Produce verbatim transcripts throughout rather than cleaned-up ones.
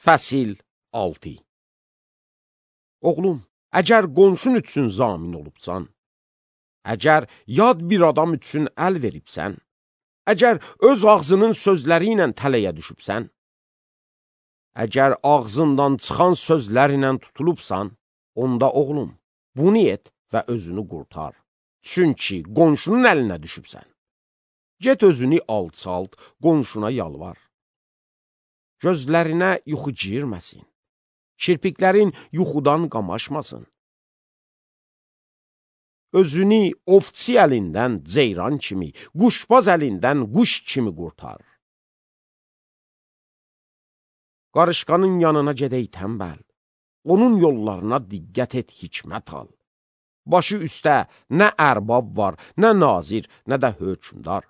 Fəsil altı. Oğlum, əgər qonşun üçün zamin olubsan, əgər yad bir adam üçün əl veribsən, əgər öz ağzının sözləri ilə tələyə düşübsən, əgər ağzından çıxan sözlərlə tutulubsan, onda oğlum, bunu et və özünü qurtar. Çünki qonşunun əlinə düşübsən. Get özünü alçalt, qonşuna yalvar. Gözlərinə yuxu girməsin. Kirpiklərin yuxudan qamaşmasın. Özünü ovçi əlindən ceyran kimi, quşbaz əlindən quş kimi qurtar. Qarışqanın yanına gedək tənbəl. Onun yollarına diqqət et, hikmət al. Başı üstə nə ərbab var, nə nazir, nə də hökmdar.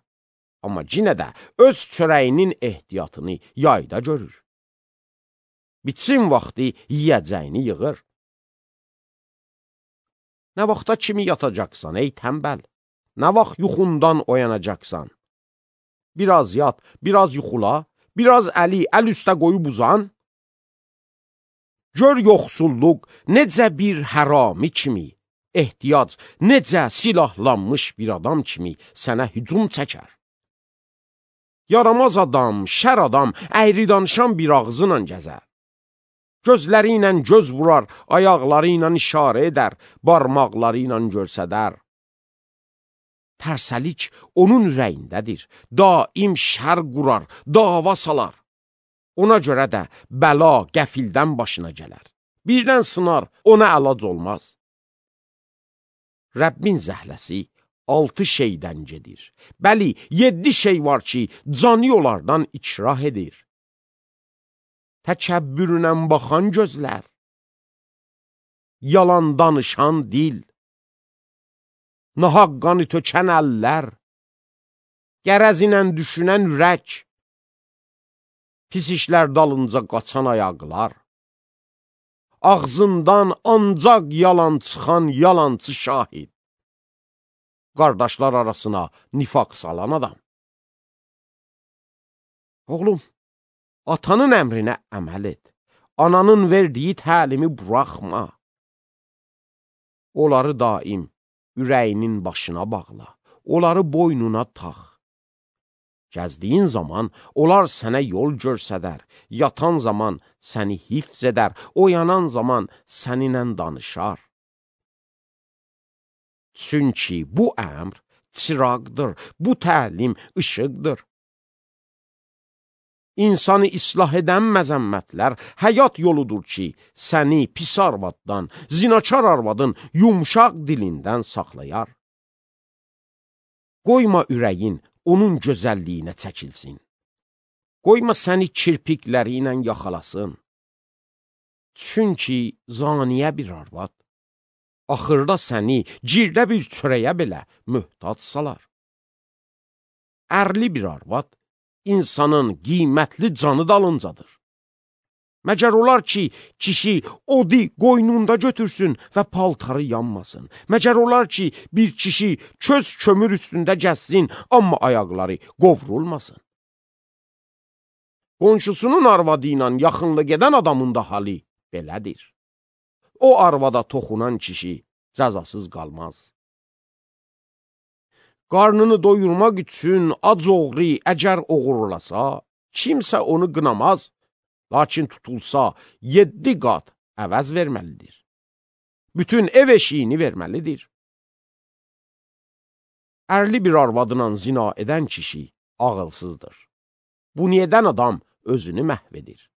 Amma yenə də öz çörəyinin ehtiyatını yayda görür. Bitsin vaxtı yiyəcəyini yığır. Nə vaxta kimi yatacaqsan, ey tənbəl? Nə vaxt yuxundan oyanacaqsan? Biraz yat, biraz yuxula, biraz əli əl üstə qoyub uzan. Gör yoxsulluq necə bir hərami kimi, ehtiyac necə silahlanmış bir adam kimi sənə hücum çəkər. Yaramaz adam, şər adam, əyri danışan bir ağzıyla gəzər. Gözləri ilə göz vurar, ayaqları ilə işarə edər, barmaqları ilə görsədər. Tərsəlik onun ürəyindədir, daim şər qurar, dava salar. Ona görə də bəla qəfildən başına gələr. Birdən sınar, ona əlac olmaz. Rəbbin zəhləsi altı şeydən gedir. Bəli, yeddi şey var ki, cani onlardan ikrah edir. Təkəbbürünə baxan gözlər, yalan danışan dil, nahaqqanı tökən əllər, qərəzinə düşünən ürək, pis işlər dalınca qaçan ayaqlar, ağzından ancaq yalan çıxan yalancı şahid, qardaşlar arasına nifaq salan adam. Oğlum, atanın əmrinə əməl et, ananın verdiyi təlimi buraxma. Onları daim ürəyinin başına bağla, onları boynuna tax. Gəzdiyin zaman onlar sənə yol görsədər, yatan zaman səni hifz edər, oyanan zaman səninlə danışar. Çünki bu əmr çıraqdır, bu təlim işıqdır. İnsanı islah edən məzəmmətlər həyat yoludur ki, səni pis arvaddan, zinakar arvadın yumşaq dilindən saxlayar. Qoyma ürəyin onun gözəlliyinə çəkilsin. Qoyma səni kirpikləri ilə yaxalasın. Çünki zaniyə bir arvad, axırda səni girdə bir çörəyə belə möhtac salar. Ərli bir arvad, insanın qiymətli canı dalıncadır. Məgər olar ki, kişi odi qoynunda götürsün və paltarı yanmasın. Məgər olar ki, bir kişi köz kömür üstündə gəzsin, amma ayaqları qovrulmasın. Qonşusunun arvadı ilə yaxınlıq edən adamın da halı belədir. O arvada toxunan kişi cəzasız qalmaz. Qarnını doyurmaq üçün ac oğru əgər oğurlasa, kimsə onu qınamaz, lakin tutulsa yeddi qat əvəz verməlidir. Bütün ev eşiyini verməlidir. Ərli bir arvadla zina edən kişi ağılsızdır. Bunu edən adam özünü məhv edir.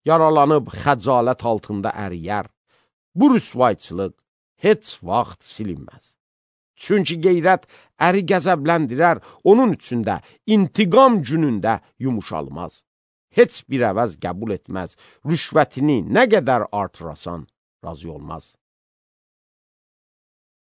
Yaralanıb xəcalət altında əriyər. Bu rüsvayçılıq heç vaxt silinməz. Çünki qeyrət əri qəzəbləndirər, onun üçün də intiqam günündə yumuşalmaz. Heç bir əvəz qəbul etməz, rüşvətini nə qədər artırasan razı olmaz.